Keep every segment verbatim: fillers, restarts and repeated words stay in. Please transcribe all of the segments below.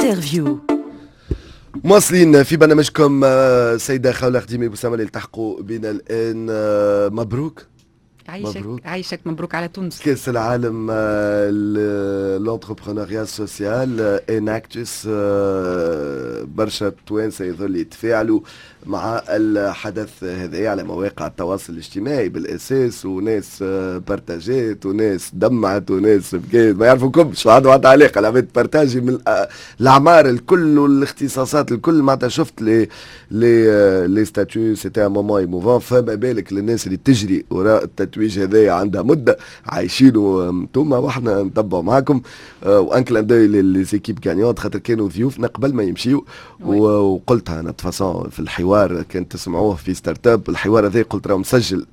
Interview. مواصلين في برنامجكم، آه، سيدة خولة خديمي بوسامة اللي التحقوا بنا الآن، آه، مبروك. عايشك. مبروك. عايشك، مبروك على تونس. كاس العالم l'entrepreneuriat social Enactus، برشا توانسة يظل يتفاعلوا مع الحدث هذا على مواقع التواصل الاجتماعي بالاساس، وناس آه، partagé ت وناس دمعت وناس بكيت، ما يعرفوكمش، ما عندهم حتى علاقه. العباد partager من آه، الاعمار الكل والاختصاصات الكل. معناتها شفت les les les statuts، c'était un moment émouvant، فما بالك للناس اللي تجري وراء التتويج هذايا عندها مده عايشينه انتوما واحنا نتبعوا معاكم. و un clin d'œil les équipes gagnantes، خاطر كانوا ضيوفنا قبل ما يمشيو، وقلتها انا de toute façon في الحوار، كان تسمعوه في Startup الحوار هذا، قلت راه مسجل.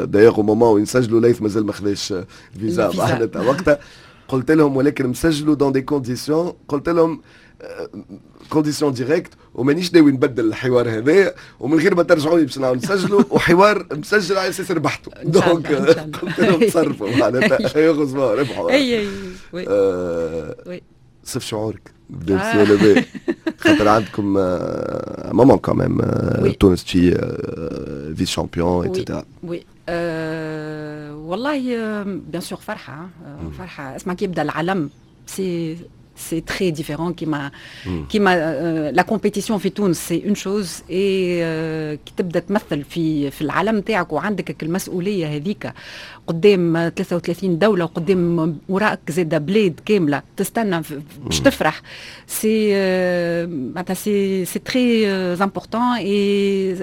d'ailleurs au moment وين سجلوا ليث مازال ما خذاش فيزا معناتها وقتها قلت لهم، ولكن مسجلوا dans des conditions، قلت لهم conditions directes، ومانيش ناوي نبدل الحوار هذا، ومن غير ما ترجعوا لي باش نعاود نسجلوا، وحوار مسجل على اساس ربحته، donc قلت لهم تصرفوا معناتها، heureusement ربحوا. اي اي oui. صف شعورك بدا، خاطر عندكم moment quand même تونس تجي vice-champion et cetera. oui، والله bien sûr فرحه فرحه. اسمع، كي يبدا العلم c'est c'est très différent. كيما كيما la compétition في تونس c'est une chose، et كي تبدا تمثل في في العالم تاعك وعندك المسؤولية هذيك قدام ثلاثة وثلاثين دولة وقدام وراك زاده بلاد كاملة تستنى باش تفرح، c'est معناتها c'est c'est très important et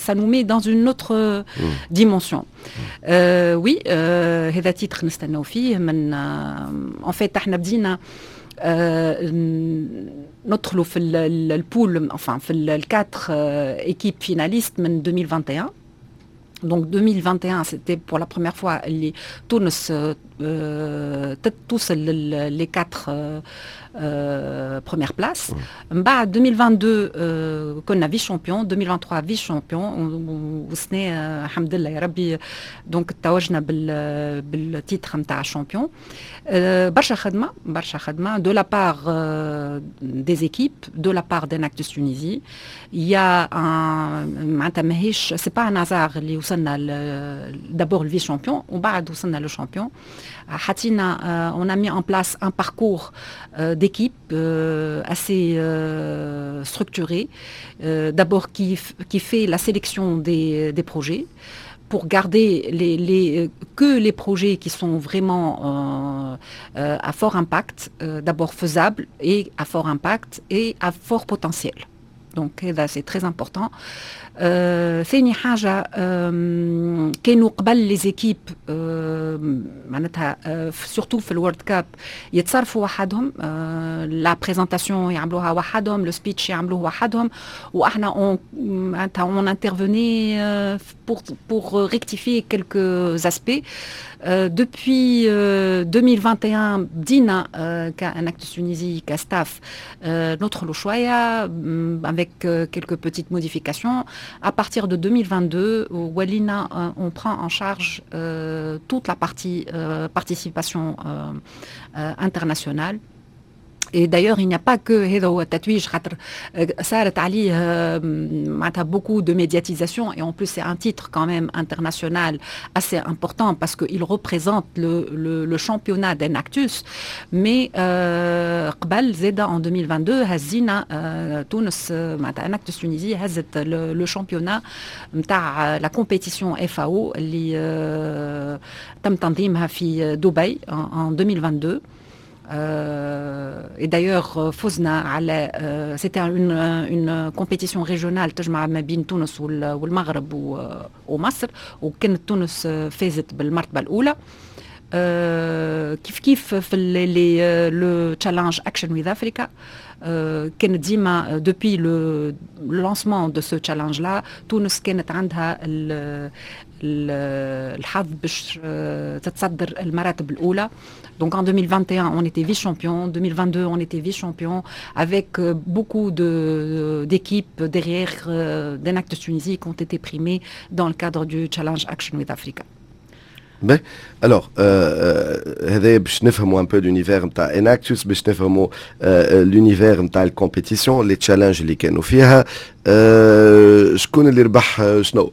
ça nous met dans une autre dimension. oui، هذا titre نستناو فيه من en fait احنا بدينا ندخلوا في ال poule، enfin في ال quatre équipes finalistes من ألفين وواحد وعشرين. Donc deux mille vingt et un، c'était pour la première fois اللي تونس توصل les quatre premières places. من بعد ألفين واثنين وعشرين كنا vice-champion، ألفين وثلاثة وعشرين vice-champion، وسنة الحمد لله يا ربي donc توجنا بال بال titre نتاع champion. برشا خدمه، برشا خدمة de la part des équipes، de la part d'Enactus Tunisie. Il y a un معناتها ماهيش c'est pas un hasard اللي وصلنا d'abord ال vice-champion ومن بعد وصلنا le champion. حطينا on a mis en place un parcours d'équipe assez structuré، d'abord qui, qui fait la sélection des, des projets pour garder les, les, que les projets qui sont vraiment euh, euh, à fort impact, euh, d'abord faisables et à fort impact et à fort potentiel. Donc هذا c'est très important. ثاني حاجة، كانوا قبل les équipes معناتها surtout في ال World Cup يتصرفوا وحدهم، la présentation يعملوها وحدهم، le speech يعملوه وحدهم، واحنا on معناتها on intervenait pour pour rectifier quelques aspects. Depuis deux mille vingt et un بدينا ك Enactus Tunisie، ك staff، ندخلوا شوية avec quelques petites modifications. À partir de deux mille vingt-deux، ولينا on prend en charge toute la partie participation internationale. Et d'ailleurs, il n'y a pas que هذا هو التتويج، خاطر صارت عليه معناتها beaucoup de médiatisation et en plus c'est un titre quand même international assez important parce qu'il représente le, le, le championnat d'Enactus. Mais قبل زاده en deux mille vingt-deux هزينا تونس، معناتها Enactus Tunisie هزت le, le championnat نتاع la compétition FAO اللي تم تنظيمها في دبي en deux mille vingt-deux. Et d'ailleurs فزنا على c'était une une compétition régionale تجمع ما بين تونس والمغرب ومصر، وكانت تونس فازت بالمرتبة الاولى. كيف كيف في les le challenge Action with Africa، كانت ديما depuis le lancement de ce challenge-là تونس كانت عندها الحظ باش تتصدر المراتب الاولى. Donc en deux mille vingt et un, on était vice-champion. deux mille vingt-deux, on était vice-champion avec beaucoup d'équipes derrière d'Enactus Tunisie qui ont été primées dans le cadre du Challenge Action with Africa. باهي، alors هذا باش نفهموا un peu l'univers نتاع Enactus، باش نفهموا l'univers نتاع ال compétition، les challenges اللي كانوا فيها، شكون اللي ربح، شنو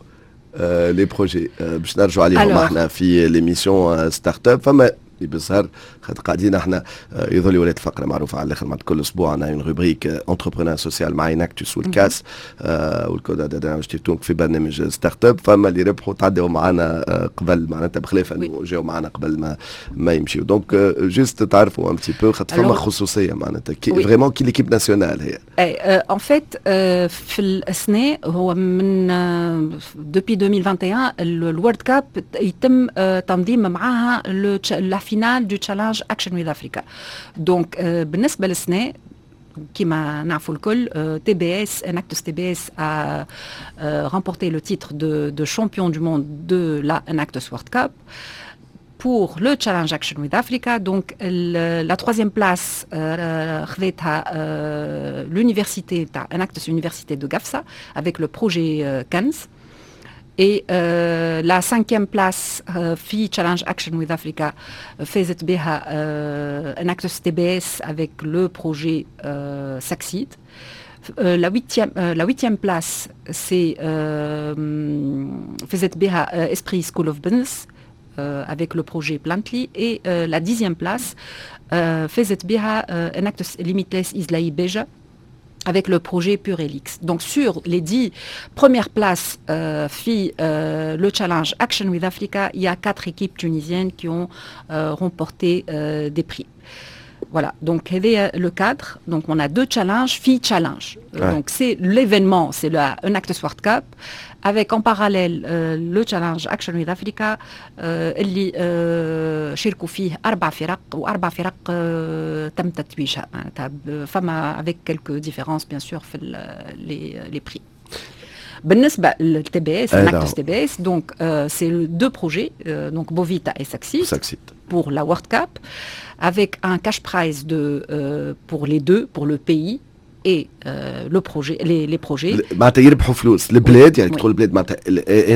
les projets، باش نرجعوا عليهم احنا في l'émission Startup. فما اللي بالظهر خاطر قاعدين احنا آه، يظل ولات فقره معروفة على الاخر، مع كل اسبوع عندنا une rubrique entrepreneuriat social مع Enactus والكاس آه والكود في برنامج Startup. فما اللي ربحوا تعدوا معنا آه قبل، معناتها بخلاف انه جاوا معنا قبل ما ما يمشيو، donc juste تعرفوا un petit peu خاطر فما خصوصية معناتها كي vraiment كي l'équipe nationale هي. اي، en fait في الاسناء هو من depuis ألفين وواحد وعشرين ال World Cup يتم تنظيم معاها la finale du Challenge Action with Africa. donc بالنسبة للسنة كما نعرفوا الكل، تي بي اس Enactus T B S a remporté le titre de, de champion du monde de la Enactus World Cup. Pour le Challenge Action with Africa, donc la troisième place euh, euh, l'université Enactus Université de Gafsa avec le projet euh, Cannes. Et euh, la cinquième place euh, في Challenge Action with Africa فازت بها euh, Enactus T B S avec le projet euh, Succeed. Euh, la huitième, euh, la huitième place, c'est فازت بها Esprit School of Business avec le projet Plantly. Et la dixième place, فازت بها Enactus Limitless ISLAI Beja avec le projet Purelix. Donc sur les dix premières places euh, في euh, le challenge Action with Africa, il y a quatre équipes tunisiennes qui ont euh, remporté euh, des prix. Voilà, donc هذا le cadre. Donc on a deux challenges, في challenge. Ouais. Donc c'est l'événement, c'est le Enactus World Cup, avec en parallèle euh, le challenge Action with Africa اللي euh, شاركوا فيه أربع فرق، وأربع فرق euh, تم تتويجها معناتها فما avec quelques différences bien sûr في les, les prix. بالنسبة لل T B S، Enactus T B S، donc c'est deux projets, donc Bovita et Succeed, Succeed pour la World Cup avec un cash prize de euh, pour les deux, pour le pays et euh, le projet les, les projets. معناتها يربحوا فلوس البلاد، يعني تقول البلاد معناتها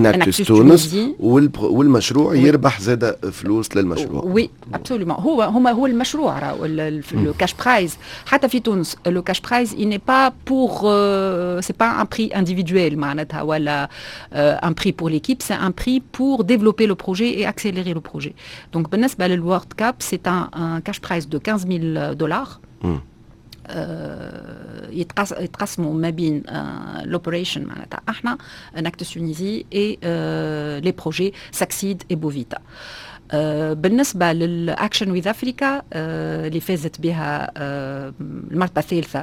Enactus تونس، والمشروع يربح زاد فلوس للمشروع. oui، absolument. هو هما هو المشروع راهو le cash prize. حتى في تونس le cash prize il n'est pas pour c'est pas un prix individuel معناتها ولا un prix pour l'équipe، c'est un prix pour développer le projet et accélérer le projet. donc بالنسبة لل World Cup c'est un, un cash prize de quinze mille dollars يتقسموا ما بين l'operation معناتها احنا Enactus Tunisie et les projets Succeed et Bovita. بالنسبة لل Action with Africa اللي فازت بها المرتبة الثالثة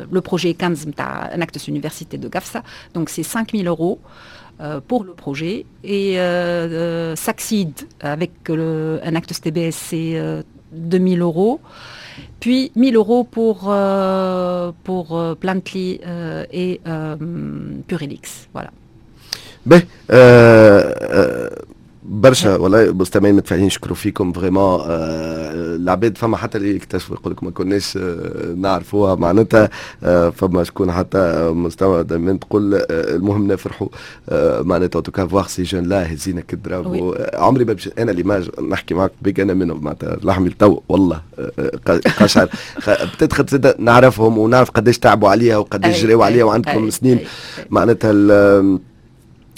le projet كنز نتاع Enactus Université de Gafsa، donc c'est cinq mille euros pour le projet et euh, Succeed avec le Enactus T B S c'est deux mille euros، puis mille euros pour, euh, pour euh, Plantly euh, et Purelix. Voilà. باهي، برشا والله مستمعين متفاعلين يشكروا فيكم vraiment. آه العباد فما حتى اللي اكتشفوا يقول لك ما كناش آه نعرفوها معناتها. آه فما شكون حتى مستوى دائما تقول آه المهم نفرحوا آه معناتها en tout cas voir ces jeunes-là هزينا ك drapeau. عمري ما انا l'image نحكي معك بيك انا منهم، معناتها لحمي التو والله قشعر peut-être نعرفهم ونعرف قداش تعبوا عليها وقداش جريوا عليها وعندكم سنين معناتها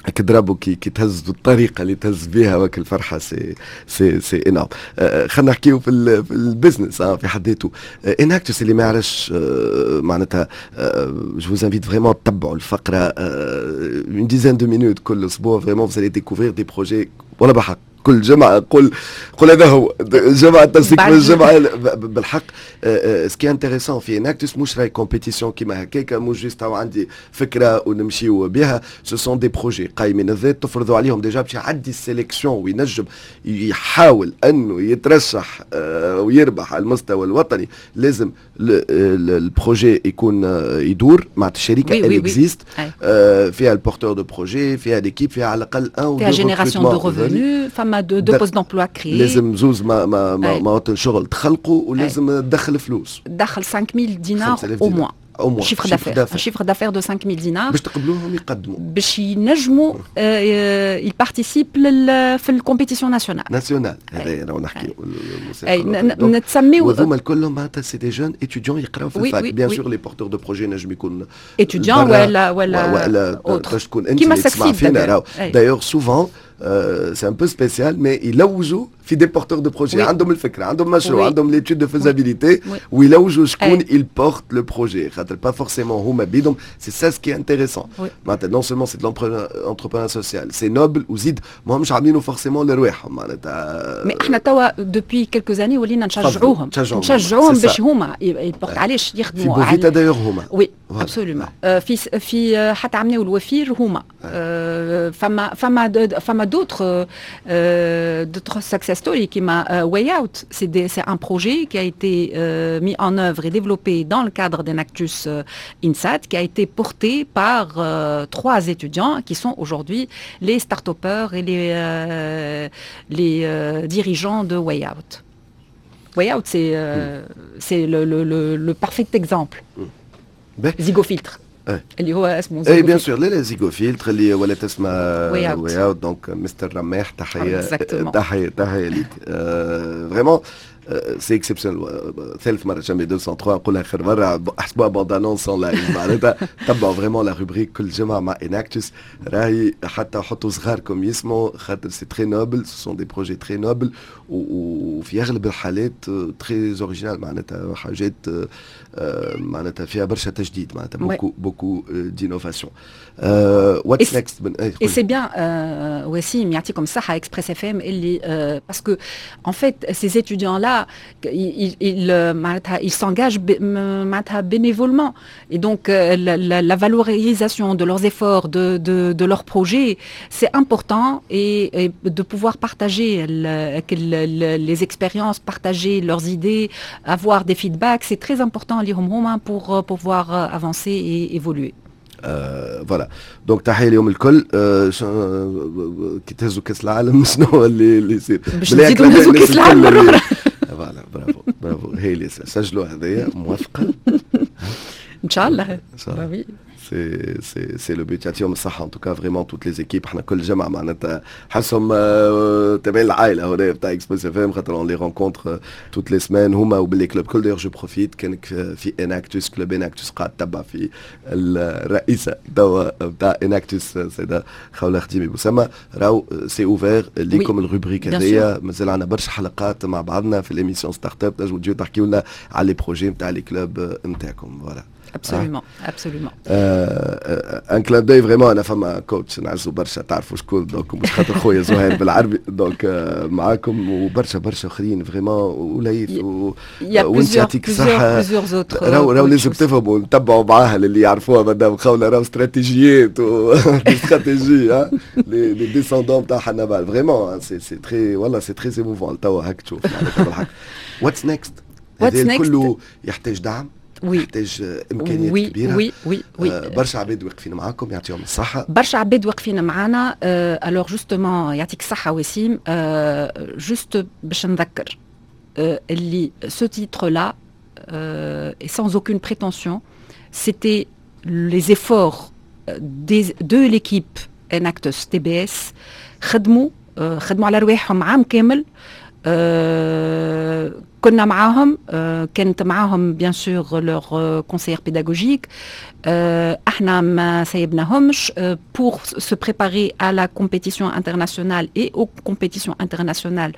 ك drapeau كي كي تهز بالطريقة اللي تهز بها وك الفرحة c'est c'est c'est énorme. آه خلينا نحكيو في, في ال business آه في حد ذاته Enactus. اللي ما يعرفش آه معناتها je vous invite vraiment تتبعوا الفقرة une dizaine de minutes كل اسبوع، vraiment vous allez découvrir des projets. ولا بحق كل جمعه قول قول هذا هو جمعه تمسك من الجمعة بالحق. ce qui est intéressant في Enactus مش راي compétition كيما هكاك، مش juste عندي فكرة ونمشيو بها، ce sont des projets قايمين الذات تفرضوا عليهم déjà باش يعدي ال sélection وينجم يحاول انه يترشح ويربح على المستوى الوطني، لازم ال projet يكون يدور مع الشركه، elle existe، فيها ال porteur de projet، فيها l'équipe، فيها على الاقل un فيها génération de revenus، فما deux, deux postes d'emploi créés. لازم زوز ما ما ما مواطن شغل تخلقوا ولازم تدخل فلوس. تدخل خمسة آلاف دينار au moins. Au moins chiffre d'affaires, un chiffre d'affaires de cinq mille dinars. باش تقبلوهم يقدموا. باش ينجموا ils participent في ال compétition nationale. nationale، هذا انا نحكي. اي، نتسميو وهذوما الكل معناتها c'est des jeunes étudiants يقراو في ال fac، bien sûr les porteurs de projets نجم يكون étudiant ولا ولا ولا باش تكون انت اللي تسمع فينا، راهو d'ailleurs souvent c'est un peu spécial mais يلوجوا في des porteurs de projets عندهم الفكره، عندهم مشروع، عندهم l'étude de faisabilité، ويلوجوا شكون il porte le projet، خاطر pas forcément هما بيدهم. c'est ça ce qui est intéressant، معناتها non seulement c'est de l'entrepreneuriat social، c'est noble، وزيد ماهمش عاملينه forcément لرواحهم معناتها. mais احنا توا depuis quelques années ولينا نشجعوهم نشجعوهم باش هما ي portent، علاش يخدموا. في بوفيتا d'ailleurs هما. oui، absolument، في في حتى عملناو الوفير هما. فما فما فما d'autres d'autres success stories كيما Way Out. C'est un projet qui a été euh, mis en œuvre et développé dans le cadre d'Enactus euh, INSAT, qui a été porté par euh, trois étudiants qui sont aujourd'hui les start-upers et les, euh, les euh, dirigeants de Way Out. Way Out, c'est euh, mm. c'est le, le, le, le parfait exemple. Mm. Zigofiltre. اللي هو اسمه. اي bien sûr، لا لا، Zigofiltre اللي ولات اسمها Way Out، donc mister رماح، تحيه تحيه تحيه ليك، vraiment c'est exceptionnel. ثالث مرة جامي ميتين وثلاثة نقولها، اخر مرة احسبوها bande-annonce live. معناتها تبعوا vraiment la rubrique كل جمعه مع Enactus، راهي حتى حطوا صغاركم يسمعوا، خاطر c'est très noble، ce sont des projets très nobles وفي اغلب الحالات très original، معناتها حاجات معناتها فيها برشا تجديد، معناتها beaucoup beaucoup d'innovation. what's next؟ Et c'est bien وسيم، يعطيكم الصحة Express FM اللي parce que en fait ces étudiants là ils, ils, ils s'engagent bénévolement et donc la, la, la valorisation de leurs efforts, de, de, de leurs projets, c'est important et, et de pouvoir partager le, les expériences, partager leurs idées, avoir des feedbacks, c'est très important ليهم هما pour pouvoir avancer et évoluer. voilà، donc تحيه اليوم الكل. آه كي تهزوا كاس العالم شنو اللي اللي يصير؟ باش نزيدوا نهزوا كاس العالم مره اخرى. voilà، bravo bravo، هي اللي سجلوا هذايا موافقه. ان شاء الله. ان شاء الله، c'est c'est c'est le but. يعطيهم الصحة en tout cas vraiment toutes les équipes. احنا كل جمعة معناتها حسهم تابعين العائلة هنا بتاع Express FM، خاطر on les rencontre toutes les semaines هما وب les clubs كل. d'ailleurs je profite، كانك في Enactus، club Enactus، قاعد تتبع في الرئيسة توا بتاع Enactus سيدة خولة خديمي بوسما، راهو c'est ouvert ليكم ال rubrique هذيا. مازال عندنا برشا حلقات مع بعضنا في l'émission startup، تنجموا تجيو تحكيو لنا على les projets نتاع les clubs نتاعكم، voilà. Absolument, absolument. un clin d'œil vraiment، انا فما coach نعزو برشا، تعرفوا شكون، donc مش خاطر خويا زهير بالعربي، donc معاكم وبرشا برشا اخرين vraiment، وليث وانت يعطيك الصحه. راهو راهو لازم تفهموا، نتبعوا معاها اللي يعرفوها مدام خوله، راهو استراتيجيات و stratégies les descendants تاع حنبال، vraiment c'est c'est très، والله c'est très émouvant توا هاك تشوف معناتها بالحق. what's next؟ هذا كله يحتاج دعم، oui يحتاج امكانيات oui كبيره. oui oui oui آه برشا عباد واقفين معاكم، يعطيهم الصحه. برشا عباد واقفين معانا. alors justement يعطيك الصحه وسيم، juste باش نذكر اللي ce titre-là, et sans aucune prétention, c'était les efforts des, de l'équipe Enactus T B S. خدموا خدموا على رواحهم عام كامل، كنا معاهم، كانت معاهم bien sûr leur conseillère pédagogique، احنا ما سيبناهمش pour se préparer à la compétition internationale et aux compétitions internationales.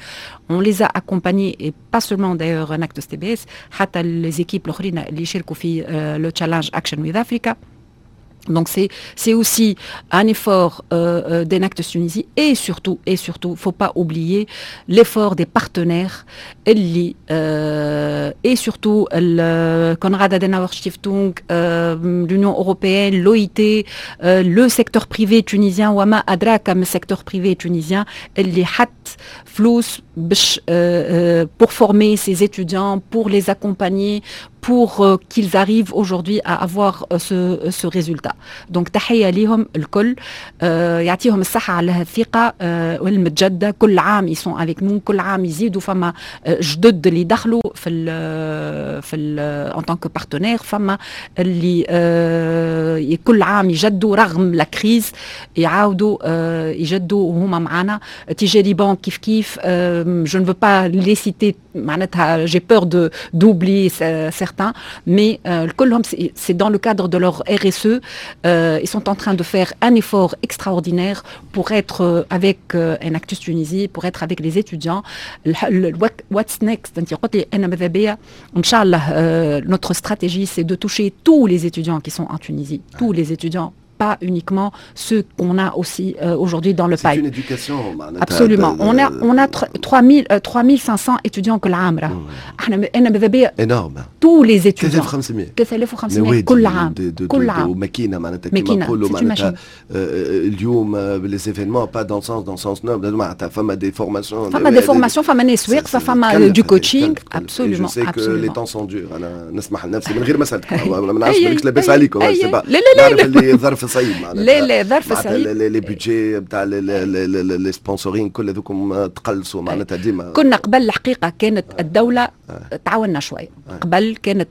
on les a accompagnés et pas seulement d'ailleurs Enactus T B S، حتى les équipes الاخرين اللي شاركوا في le challenge Action with Africa. Donc c'est c'est aussi un effort euh, euh, d'Enactus Tunisie et surtout et surtout faut pas oublier l'effort des partenaires اللي euh, et surtout le Konrad Adenauer Stiftung, euh, l'Union européenne, l'O I T, euh, le secteur privé tunisien وما أدراك ما secteur privé tunisien اللي حط فلوس باش pour former ses étudiants، pour les accompagner، pour pour qu'ils arrivent aujourd'hui à avoir ce, ce résultat. Donc تحية ليهم الكل، يعطيهم الصحة على هالثقة والمتجددة. كل عام ils sont avec nous، كل عام يزيدوا، فما جدد اللي دخلوا في ال في ال en tant que partenaires، فما اللي كل عام يجدوا رغم la crise، يعاودوا يجدوا وهما معنا. تيجاري بانك كيف كيف، je ne veux pas les citer، معناتها j'ai peur de d'oublier certains، mais كلهم c'est dans le cadre de leur R S E، ils sont en train de faire un effort extraordinaire pour être avec Enactus Tunisie، pour être avec les étudiants. What's next؟ انت قلت لي، انا ماذا بيا ان شاء الله notre stratégie، c'est de toucher tous les étudiants qui sont en Tunisie، tous les étudiants، pas uniquement ceux qu'on a aussi euh, aujourd'hui dans le C'est pipe. une éducation. Absolument. On a, on a trois mille, trois mille cinq cents étudiants كل عام راه. احنا انا ماذا بيا énorme. tous les étudiants. ثلاثة آلاف وخمسمية. ثلاثة آلاف وخمسمية كل عام. كل عام. وماكينه معناتها كيما نقولوا معناتها اليوم les événements، pas dans sens dans sens noble، معناتها فما des formations. فما des formations، فما ناس واقفه، فما du coaching، absolument. absolument. les temps sont durs. انا نسمح لنفسي من غير ما سالتك، ما نعرفش بالك لاباس عليكم. لا لا لا. نعرف اللي الظرف صعيب معناتها. لا لا، ظرف صعيب. les budgets نتاع les sponsorings كل هذوكم تقلصوا معناتها ديما. كنا قبل الحقيقة كانت الدولة تعاوننا شويه. قبل كانت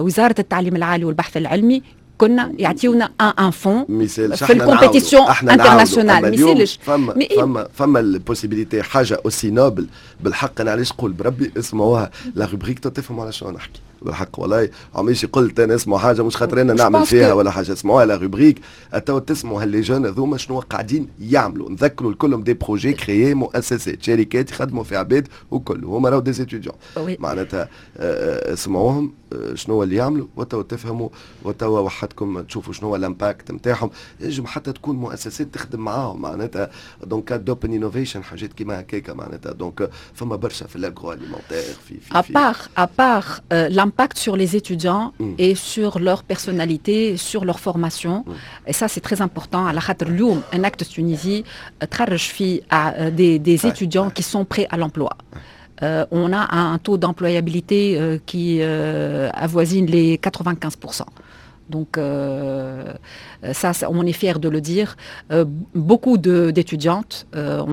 وزارة التعليم العالي والبحث العلمي كنا يعطيونا un un fonds في ال compétition internationale، ما يسالش. فما فما فما ال possibilité، حاجة aussi noble بالحق. انا علاش نقول بربي اسمعوها la rubrique، تفهموا على شنو نحكي بالحق. والله عمريش قلت انا اسمعوا حاجة مش خاطر انا نعمل فيها ولا حاجه. اسمعوها la rubrique، تو تسمعوا ها les jeunes هذوما شنو قاعدين يعملوا. نذكروا الكلهم des projets créés، مؤسسات، شركات يخدموا في عباد وكل هما راهو des étudiants معناتها. اسمعوهم شنو اللي يعملوا وتو تفهموا، وتوا وحدكم تشوفوا شنو هو l'impact نتاعهم. ينجم حتى تكون مؤسسات تخدم معاهم معناتها donc d'open innovation، حاجات كيما هكاكا معناتها. donc فما برشا في l'agroalimentaire في في à part à part l'impact sur les étudiants mm. et sur leur personnalité، sur leur formation mm. et ça c'est très important، على خاطر اليوم Enactus Tunisie تخرج في des, des étudiants qui sont prêts à l'emploi. Euh, on a un taux d'employabilité euh, qui euh, avoisine les quatre-vingt-quinze pour cent. Donc ça, ça, on est fier de le dire. Beaucoup d'étudiantes,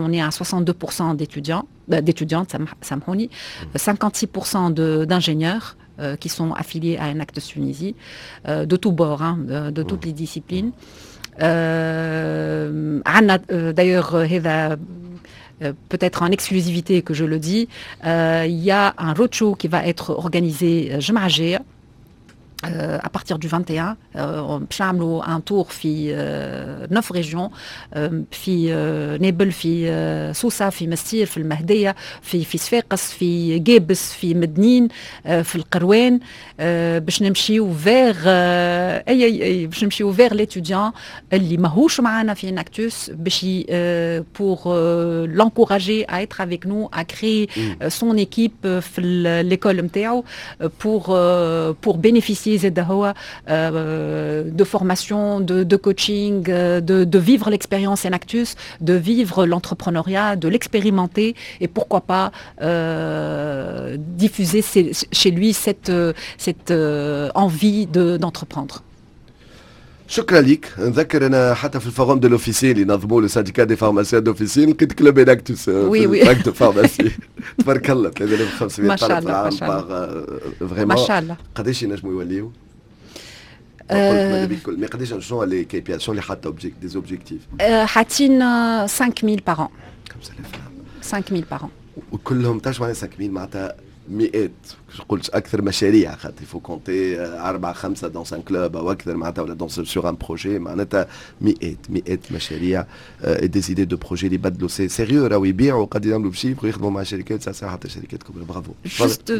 on est à soixante-deux pour cent d'étudiants, d'étudiantes، سامحوني، cinquante-six pour cent d'ingénieurs qui sont affiliés à Enactus Tunisie، de tous bords، hein، de, de toutes les disciplines. D'ailleurs، peut-être en exclusivité que je le dis، il y a un roadshow qui va être organisé الجمعة الجاية à partir du vingt et un. باش نعملوا un tour في neuf régions، في نابل، في سوسه، في مستير، في المهديه، في في صفاقس، في قابس، في مدنين، في القروان، باش نمشيو vers اي اي باش نمشيو vers l'étudiant اللي ماهوش معانا في Enactus، باش pour l'encourager à être avec nous، à créer son équipe في l'école نتاعو، pour pour bénéficier زاد هو de formation، de, de coaching، de, de vivre l'expérience Enactus، de vivre l'entrepreneuriat، de l'expérimenter et pourquoi pas euh, diffuser chez lui cette, cette euh, envie d'entreprendre. شكرا لك. نذكر انا حتى في ال forum de l'officine اللي نظموا le syndicat des pharmaciens d'officine لقيت club Enactus. oui oui. fac de pharmacie، تبارك الله، ثلاثة آلاف وخمسمية ما شاء الله، ما شاء الله، vraiment ما شاء الله. قداش ينجموا يوليو؟ قلت mais قداش، شنو les K P I، شنو اللي حاطه des objectifs؟ حاطين خمسة آلاف par an. خمسة آلاف. خمسة آلاف par an. وكلهم تعرف معناها خمسة آلاف معناتها مئات، نقولش اكثر مشاريع، خاطر il faut compter أربعة خمسة dans un club او اكثر معناتها ولا dans sur un projet، معناتها مئات مئات مشاريع، des idées de projets اللي يبدلوا، c'est sérieux راهو، يبيعوا قد يعملوا ب chiffre ويخدموا مع شركات ساعة حتى شركات كبرى. bravo. juste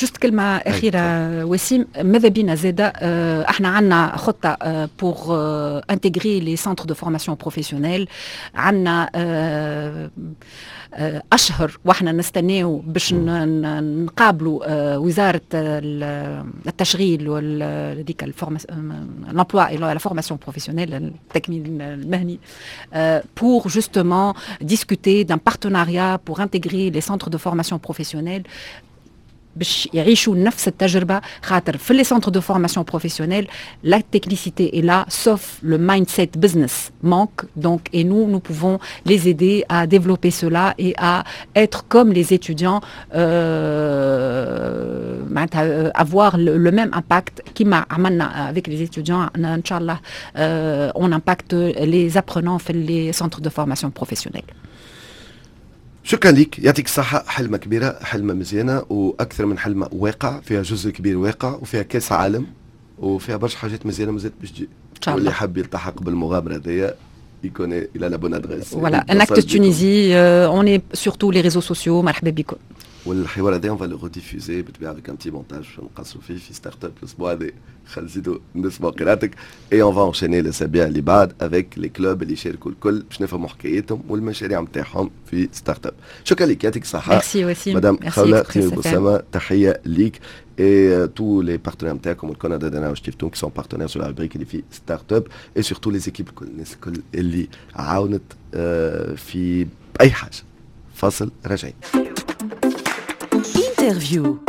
juste كلمة اخيرة وسيم، ماذا بينا زاده احنا عندنا خطه pour intégrer les centres de formation professionnelle. عندنا اشهر واحنا نستناو باش نقابلوا وزارة التشغيل وهذيك l'emploi et la formation professionnelle، التكوين المهني، pour justement discuter d'un partenariat pour intégrer les centres de formation professionnelle. باش يعيشوا نفس التجربه، خاطر في les centres de formation professionnelle la technicité est là, sauf le mindset business manque. Donc et nous, nous pouvons les aider à développer cela et à être comme les étudiants, euh, معناتها avoir le, le même impact كيما عملنا avec les étudiants. ان شاء الله euh, on impacte les apprenants في les centres de formation professionnelle. شكرا لك، يعطيك الصحة. حلمة كبيرة، حلمة مزيانة، وأكثر من حلمة، واقع، فيها جزء كبير واقع، وفيها كاس عالم، وفيها برشا حاجات مزيانة مازالت باش تجي. إن شاء الله. واللي حاب يلتحق بالمغامرة هذيا يكون il a la bonne adresse. Voilà, Enactus Tunisie, euh, on est sur tous les réseaux sociaux, مرحبا بكم. والحوار هذا on va le rediffuser بالطبيعة avec un petit montage نقصوا فيه في startup الاسبوع هذا. خلينا نزيدوا نسمعوا قراءتك et on va enchaîner الاسابيع اللي بعد avec les clubs اللي يشاركوا الكل باش نفهموا حكايتهم والمشاريع نتاعهم في startup. شكرا لك، يعطيك الصحة. ميرسي وسيم. مدام خولة خير بوسامة، تحية ليك et tous les partenaires نتاعكم والكندا دانا وشتيفتون qui sont partenaires sur la rubrique اللي في startup et surtout les équipes الكل، الناس الكل اللي عاونت في اي حاجة. فاصل، راجعين. interview.